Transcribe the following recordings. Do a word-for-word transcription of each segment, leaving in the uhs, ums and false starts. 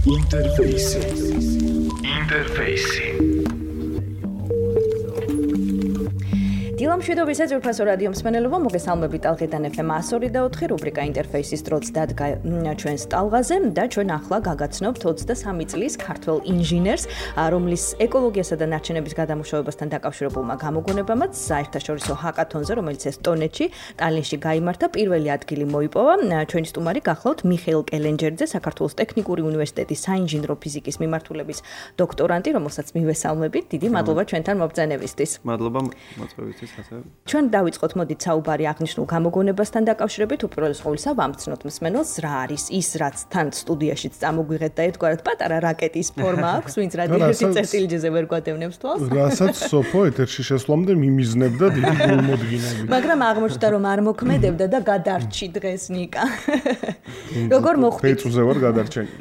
Interface. Interface. დილამშვიდობისა ძვირფასო რადიო მსმენელობა, მოგესალმებით ალღიდან ეფ ემ εκατო ორი და ოთხი რუბრიკა ინტერფეისის დროც დადგა ჩვენს ტალღაზე და ჩვენ ახლა გაგაცნობთ ოცდასამი წლის ქართველ ინჟინერს, რომლის ეკოლოგიასა და ნარჩენების გადამუშავებასთან დაკავშირებულმა გამოგონებამაც საერთაშორისო ჰაკათონზე, რომელიც ესტონეთში, ტალინში გაიმართა, პირველი ადგილი მოიპოვა. ჩვენი სტუმარი გახლავთ მიხეილ კელენჯერძე, საქართველოს ტექნიკური უნივერსიტეტის საინჟინრო ფიზიკის მიმართულების დოქტორანტი, რომელსაც მივესალმებით. დიდი მადლობა ჩვენთან მობრძანებისთვის. მადლობა მოწვევისთვის. ჩვენ დავიწყოთ მოდით საუბარი აღნიშნულ გამოგონებასთან დაკავშირებით, უპირველეს ყოვლისა ვამცნოთ მსმენელს რა არის ის, რაც თან სტუდიაშიც წამოგვიღეთ და ერთგვარად პატარა რაკეტის ფორმა აქვს, ვინც რადიოთი წერტილჯეზე ვერ გვადევნებს თვალს. რასაც სოფო ეთერში შესვლამდე მიმიზნებდა დიდი გულმოდგინები. მაგრამ აღმოჩნდა რომ არ მოქმედებდა და გადარჩი დღეს ნიკა. როგორ მოხვდით? ფეწუზე ვარ გადარჩენილი.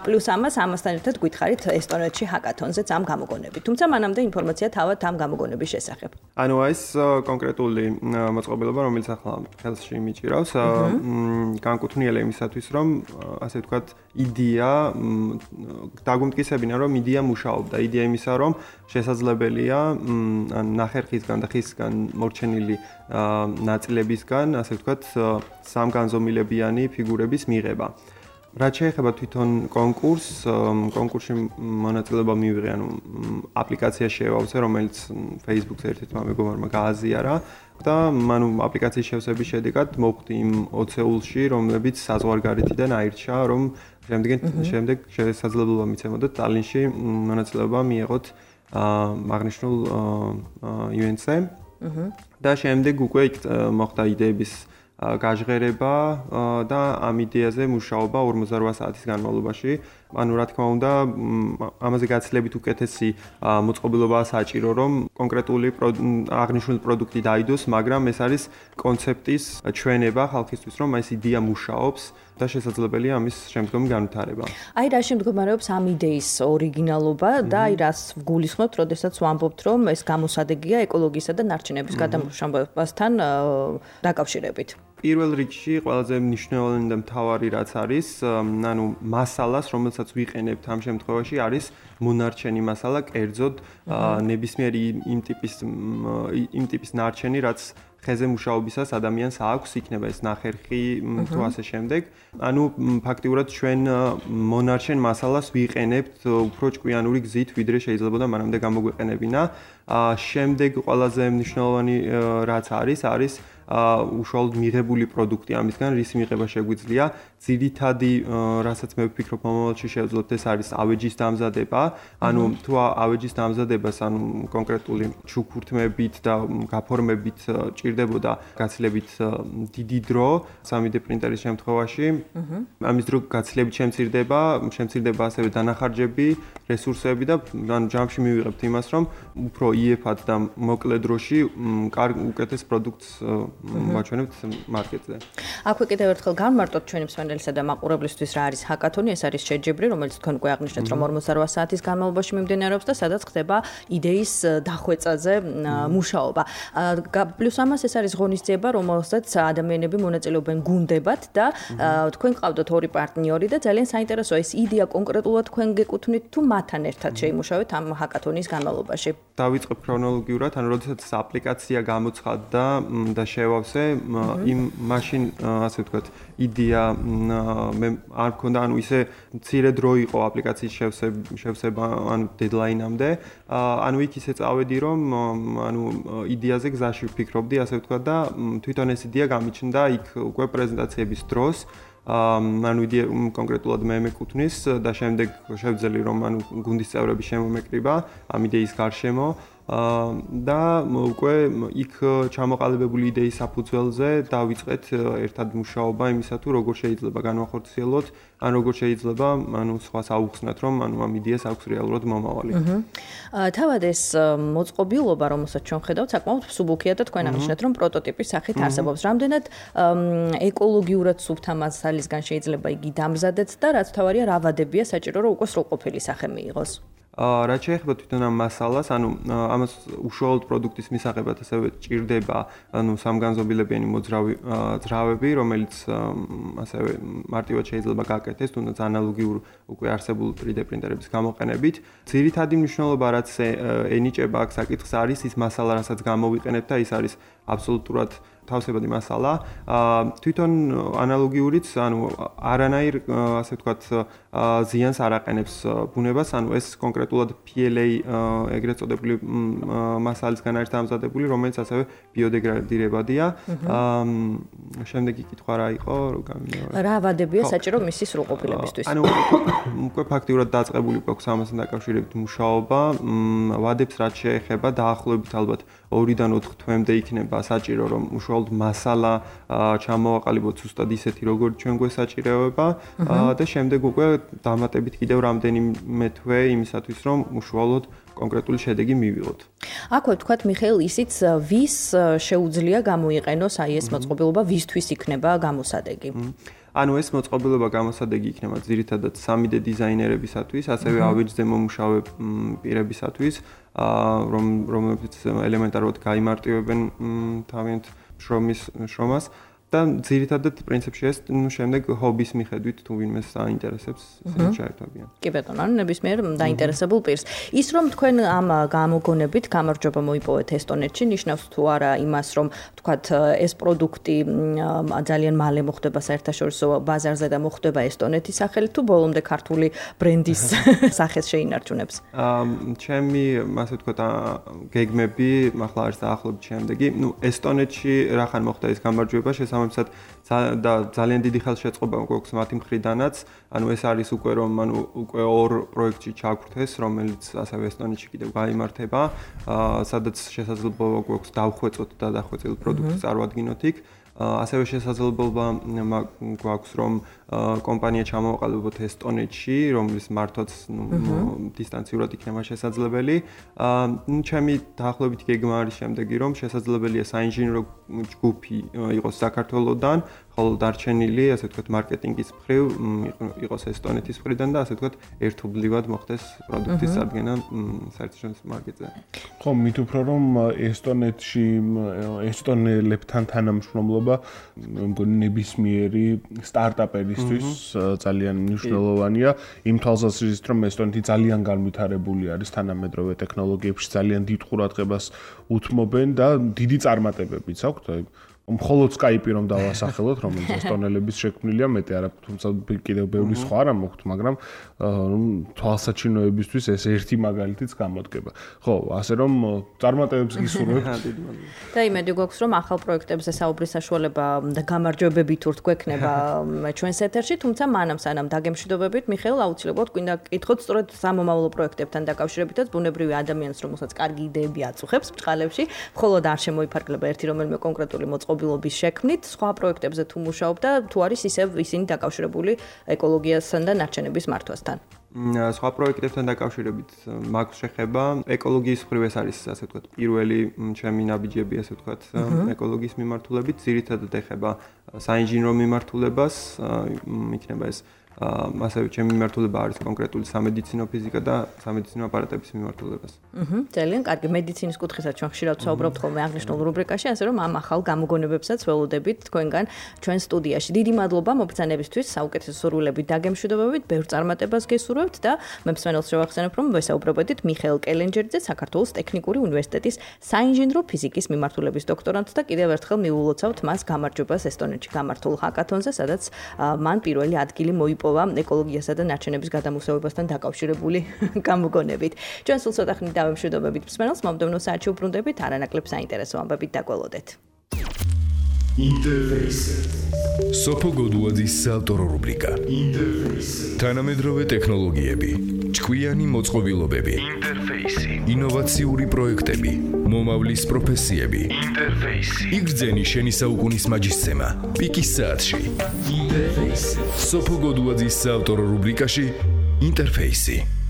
პლუს ამას ამასთან ერთად გითხარით ესტონეთში ჰაკათონზეც ამ გამოგონებით. თუმცა მანამდე ინფორმაცია თავად ამ გამოგონების შესახებ. ანუ ეს კონკრეტული მოწყობილობა, რომელიც ახლა ხელში მიჭირავს, განკუთვნილა იმისათვის, რომ ასე ვთქვათ, იდეა დაგვიმტკიცებინა, რომ იდეა მუშაობდა. იდეა იმისა, რომ შესაძლებელია ნახერხისგან და ხისგან მორჩენილი ნაწილებისგან, ასე ვთქვათ, სამგანზომილებიანი ფიგურების მიღება. რაც შეეხება თვითონ კონკურსს, კონკურსში მონაწილეობა მივიღე, ანუ აპლიკაცია შევავსე, რომელიც Facebook-ზე ერთ-ერთმა მეგობარმა გააზიარა და ანუ აპლიკაციის შევსების შედეგად მოვხვდი იმ ოცეულში, რომლებიც საზღვარგარეთიდან აირჩა, რომ შემდეგ შემდეგ შესაძლებლობა მიცემოდა ტალინში მონაწილეობა მიეღოთ აღნიშნულ ივენტზე. და შემდეგ უკვე მოხდა იდეების გაჟღერება და ამ იდეაზე მუშაობა ორმოცდარვა საათის განმავლობაში. ანუ რა თქმა უნდა, ამაზე გაცილებით უკეთესი მოწყობილობაა საჭირო, რომ კონკრეტული აღნიშნული პროდუქტი დაიდოს, მაგრამ ეს არის კონცეპტის ჩვენება ხალხისთვის, რომ ეს იდეა მუშაობს და შესაძლებელია ამის შემდგომი განვითარება. აი რა შემდგომარეობს ამ იდეის ორიგინალობა და აი რას გულისხმობთ, როდესაც ვამბობთ, რომ ეს გამოსადეგია ეკოლოგიისა და ნარჩენების გადამუშავებასთან დაკავშირებით. პირველ რიგში ყველაზე მნიშვნელოვანი და მთავარი რაც არის, ანუ მასალას, რომელსაც ვიყენებთ ამ შემთხვევაში, არის მონარჩენი მასალა, კერძოდ ნებისმიერი იმ ტიპის იმ ტიპის ნარჩენი, რაც ხეზე მუშაობისას ადამიანს აქვს, იქნება ეს ნახერხი თუ ასე შემდეგ. ანუ ფაქტიურად ჩვენ მონარჩენ მასალას ვიყენებთ უფრო ჭკვიანური გზით, ვიდრე შეიძლება მანამდე გამოგვეყენებინა. შემდეგ ყველაზე მნიშვნელოვანი რაც არის, არის უშუალოდ მიღებული პროდუქტი ამისგან, რის მიღება შეგვიძლია. ძირითადი, რასაც მე ვფიქრობ, მომავალში შევძლოთ, ეს არის ავეჯის დამზადება. ანუ თუ ავეჯის დამზადებას, ანუ კონკრეტული ჩუქურთმებით და გაფორმებით ჭირდებოდა გაცილებით დიდი დრო, სამი დე პრინტერის შემთხვევაში. ამის დრო გაცილებით შემცირდება, შემცირდება ასევე დანახარჯები, რესურსები და ანუ ჯამში მივიღებთ იმას, რომ უფრო იეფად და მოკლე დროში უკეთეს პროდუქტს ვაჩვენებთ მარკეტზე. აქვე კიდევ ერთხელ განმარტოთ ჩვენი მსმენელისა და მაყურებლისთვის რა არის ჰაკათონი, ეს არის შეჯიბრი, რომელიც თქვენ უკვე აღნიშნეთ, რომ ორმოცდარვა საათის განმავლობაში მიმდინარეობს და სადაც ხდება იდეის დახვეწაზე მუშაობა. პლუს ამას ეს არის ღონისძიება, რომელსაც ადამიანები მონაწილეობენ გუნდებად და თქვენ ყავდათ ორი პარტნიორი და ძალიან საინტერესოა ეს იდეა კონკრეტულად თქვენ გეკუთვნით თუ მათთან ერთად შეიმუშავეთ ამ ჰაკათონის განმავლობაში. დავიწყებ ქრონოლოგიურად, ანუ როდესაც აპლიკაცია გამოცხადდა და შევავსე, იმ მაშინ ასე ვთქვათ, იდეა მე არ მქონდა, ანუ ისე მცირე დრო იყო აპლიკაციის შევსება, ანუ დედლაინამდე. ანუ იქ ისე წავედი, რომ ანუ იდეაზე გზაში ვფიქრობდი, ასე ვთქვათ და თვითონ ეს იდეა გამიჩნდა იქ უკვე პრეზენტაციების დროს. ანუ იდეა კონკრეტულად მე მეკუთვნის და შემდეგ შევძელი, რომ ანუ გუნდის წევრები შემომეკრიბა ამ იდეის გარშემო. და უკვე იქ ჩამოყალიბებული იდეის საფუძველზე დავიწყეთ ერთად მუშაობა იმისა თუ როგორ შეიძლება განვახორციელოთ, ან როგორ შეიძლება ანუ სხვას აუხსნათ, რომ ანუ ამ იდეას აქვს რეალურად მომავალი. თავად ეს მოწყობილობა, რომელსაც ჩვენ ხედავთ, საკმაოდ მსუბუქია და თქვენ აღნიშნეთ, რომ პროტოტიპის სახით არსებობს. რამდენად ეკოლოგიურად სუფთა მასალისგან შეიძლება იგი დამზადდეს და რაც თავარია რა ვადებია საჭირო, რომ უკვე სრულყოფილი სახე მიიღოს. რაც შეეხება თვითონ ამ მასალას, ანუ ამას უშუალოდ პროდუქტის მისაღებად ასევე ჭირდება, ანუ სამგანზომილებიანი მოძრავი ძრავები, რომელიც ასევე მარტივად შეიძლება გაკეთდეს, თუნდაც ანალოგიურ უკვე არსებულ თრი დე პრინტერების გამოყენებით. ძირითადი მნიშვნელობა, რაც ენიჭება აქ საკითხს არის ის მასალა, რასაც გამოვიყენებთ და ის არის აბსოლუტურად თავისებადი მასალა. თვითონ ანალოგიურიც, ანუ არანაირ, ასე ვთქვათ, ზიანს არ აყენებს ბუნებას, ანუ ეს კონკრეტულად პი ელ ეი ეგრეთ წოდებული მასალისგან არის დამზადებული, რომელიც ასევე ბიოდეგრადირებადია. შემდეგი კითხვა რა იყო, რო გამიმეორე. რა ვადებია საჭირო მისი სრულყოფილებისთვის? ანუ უკვე ფაქტიურად დაწყებული გვაქვს ამასთან დაკავშირებით მუშაობა. ვადებს რაც შეეხება დაახლოებით ალბათ ორიდან ოთხ თვემდე იქნება საჭირო, რომ უშუალოდ მასალა ჩამოვაყალიბოთ ზუსტად ისეთი, როგორც ჩვენ გვესაჭიროება და შემდეგ უკვე დამატებით კიდევ რამდენიმე თვე იმისათვის, რომ უშუალოდ კონკრეტული შედეგი მივიღოთ. აქვე ვთქვათ, მიხეილ, ისიც ვის შეუძლია გამოიყენოს აი ეს მოწყობილობა, ვისთვის იქნება გამოსადეგი? ანუ ეს მოწყობილობა გამოსადეგი იქნება ძირითადად სამი დე დიზაინერებისათვის, ასევე ავეჯზე მომუშავე პირებისათვის, რომ რომლებიც ელემენტარულად გაიმარტივებენ თავიანთ შრომის შრომას და ძირითადად პრინციპში ეს ნუ შემდეგ ჰობის მიხედვით თუ ვინმეს აინტერესებს, ისინი ჩაერთვებიან. კი ბატონო, ანუ ნებისმიერ დაინტერესებულ პირს. ის რომ თქვენ ამ გამოგონებით გამარჯვება მოიპოვეთ ესტონეთში, ნიშნავს თუ არა იმას, რომ თქვათ ეს პროდუქტი ძალიან მალე მოხდება საერთაშორისო ბაზარზე და მოხდება ესტონეთის სახელით თუ ბოლომდე ქართული ბრენდის სახეს შეინარჩუნებს? ჩემი, ასე ვთქვათ, გეგმები ახლა არის დაახლოებით შემდეგი. ნუ ესტონეთში რახან მოხდა ეს გამარჯვება, შესაბამისად და ძალიან დიდი ხელშეწყობა გვაქვს მათი მხრიდანაც. ანუ ეს არის უკვე რომ ანუ უკვე ორ პროექტში ჩაგვრთეს, რომელიც ასევე ესტონეთში კიდევ გაიმართება, სადაც შესაძლებლობა გვაქვს დავხვეწოთ და დახვეწილი პროდუქტი წარვადგინოთ იქ. ასევე შესაძლებლობა გვაქვს რომ კომპანია ჩამოვაყალიბოთ ესტონეთში, რომლის მართვაც დისტანციურად იქნება შესაძლებელი. ნუ ჩემი დაახლოებით გეგმა არის შემდეგი, რომ შესაძლებელია საინჟინრო ჯგუფი იყოს საქართველოდან, ხოლო დარჩენილი, ასე ვთქვათ, მარკეტინგის მხრივ იყოს ესტონეთის მხრიდან და ასე ვთქვათ, ერთობლივად მოხდეს პროდუქტის წარდგენა საერთაშორისო მარკეტზე. ხო, მით უფრო რომ ესტონეთში ესტონელებთან თანამშრომლობა მგონი ნებისმიერი სტარტაპერისთვის ძალიან მნიშვნელოვანია. იმ თვალსაზრისით, რომ ესტონეთი ძალიან განვითარებული არის თანამედროვე ტექნოლოგიებში, ძალიან დიდ ყურადღებას უთმობენ და დიდი წარმატებებიც აქვთ. მხოლოდ Skype-ი რომ დავასახელოთ, რომელიც ესტონელების შექმნილია, მეტი არა, თუმცა კიდევ ბევრი სხვა არა მოხთ, მაგრამ თვალსაჩინოებისთვის ეს ერთი მაგალითიც გამოდგება. ხო, ასე რომ წარმატებებს გისურვებთ. და იმედი გვაქვს, რომ ახალ პროექტებზე საუბრის საშუალება და გამარჯვებები თუ რთქვექნება ჩვენს ეთერში, თუმცა მანამ სანამ დაგემშვიდობებით, მიხეილ, აუცილებლად გვინდა გკითხოთ სწორედ სამომავლო პროექტებთან დაკავშირებითაც ბუნებრივი ადამიანს, რომელსაც კარგი იდეები აწუხებს ბჭყალებში, მხოლოდ არ შემოიფარგლება ერთი რომელიმე კონკრეტული მოწყობილობის შექმნით, სხვა პროექტებზე თუ მუშაობ და თუ არის ისევ ისინი დაკავშირებული ეკოლოგიასთან და ნარჩენების მართვასთან. სხვა პროექტებთან დაკავშირებით მაქვს შეხება ეკოლოგიის მხრივ ეს არის, ასე ვთქვათ, პირველი ჩემი ნაბიჯები, ასე ვთქვათ, ეკოლოგიის მიმართულებით, ძირითადად ეხება საინჟინრო მიმართულებას, იქნება ეს ასევე ჩემი მიმართულება არის კონკრეტული სამედიცინო ფიზიკა და სამედიცინო აპარატების მიმართულებას. აჰა, ძალიან კარგი. მედიცინის კუთხესაც ჩვენ ხშირად ვსაუბრობთ ხოლმე აღნიშნულ რუბრიკაში, ასე რომ ამ ახალ გამოგონებებსაც ველოდებით თქვენგან ჩვენ სტუდიაში. დიდი მადლობა მობრძანებისთვის, საუკეთესო სურვილებით დაგემშვიდობებით, ბევრ წარმატებას გესურვებთ და მე მსმენელს შევახსენებ, რომ ვესაუბრობოდით მიხეილ კელენჯერიძე, საქართველოს ტექნიკური უნივერსიტეტის საინჟინრო ფიზიკის მიმართულების დოქტორანტს და კიდევ ერთხელ მიულოცავთ მას გამარჯვებას ესტონეთში გამართულ ჰაკათონზე, სადაც მან პირველი ადგილი მოიპოვა ეკოლოგიასა და ნარჩენების გადამუშავებასთან დაკავშირებული გამოგონებით. ჩვენ სულ ცოტა ხნით დავემშვიდობებით მსმენელს, მომდევნო საათში უბრუნდებით არანაკლებ საინტერესო ამბებით დაგველოდეთ. Interface. სოფო გოდუაძის საავტორო რუბრიკა. Interface. თანამედროვე ტექნოლოგიები, ჭკვიანი მოწყობილობები, Interface. ინოვაციური პროექტები, მომავლის პროფესიები. Interface. იგრძენი შენი საუკუნის მაჯისცემა. პიკის საათში. Interface. სოფო გოდუაძის საავტორო რუბრიკაში Interface.